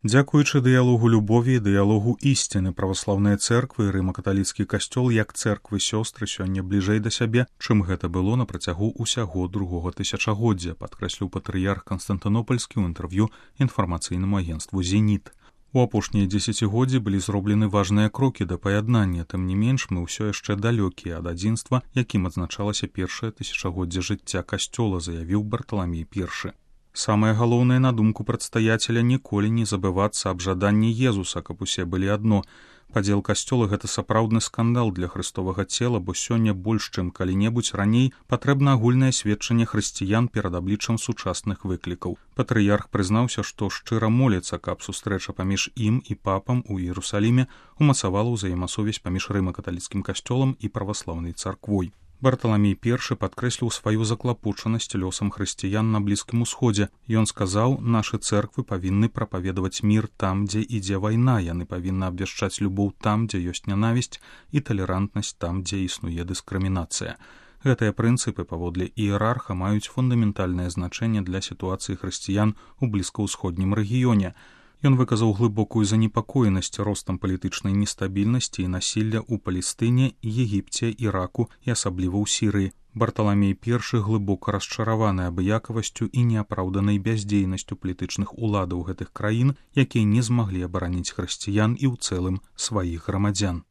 Дзякуючы дыялогу любові і дыялогу ісціны праваслаўныя цэрквы і рыма-каталіцкі касцёл як цэрквы-сёстры сёння бліжэй да сябе, чым гэта было на працягу ўсяго другога тысячагоддзя, падкрэсліў патрыярх Канстантынопальскі ў інтэрв'ю інфармацыйнаму агенцтву «Зеніт». У апошнія дзесяцігоддзі былі зроблены важныя крокі да паяднання, тым не менш мы ўсё яшчэ далёкія ад адзінства, якім адзначалася першае тысячагоддзе жыцця касцёла, заявіў Барталамей I. Самае галоўнае, на думку прадстаяцеля, ніколі не забывацца аб жаданні Езуса, каб усе былі адно. Падзел касцёла — гэта сапраўдны скандал для хрыстовага цела, бо сёння больш, чым калі-небудзь раней, патрэбна агульнае сведчанне хрысціян перад абліччам сучасных выклікаў. Патрыярх прызнаўся, што шчыра моліцца, каб сустрэча паміж ім і папам у Іерусаліме умацавала ўзаемасувязь паміж рыма-каталіцкім касцёлам і праваслаўнай царквой. Барталамей I падкрэсліў сваю заклапочанасць лёсам хрысціян на Блізкім Усходзе. Ён сказаў, нашы цэрквы павінны прапаведаваць мір там, дзе ідзе вайна, яны павінны абвяшчаць любоў там, дзе ёсць нянавісць, і талерантнасць там, дзе існуе дыскрымінацыя. Гэтыя прынцыпы, паводле іерарха, маюць фундаментальнае значэнне для сітуацыі хрысціян у блізкаўсходнім рэгіёне. Ён выказаў глыбокую занепакоенасць ростам палітычнай нестабільнасці і насілля ў Палестыне, Егіпце, Іраку і асабліва ў Сірыі. Барталамей I глыбока расчараваны абыякавасцю і неапраўданай бяздзейнасцю палітычных уладаў гэтых краін, якія не змаглі абараніць хрысціян і ў цэлым сваіх грамадзян.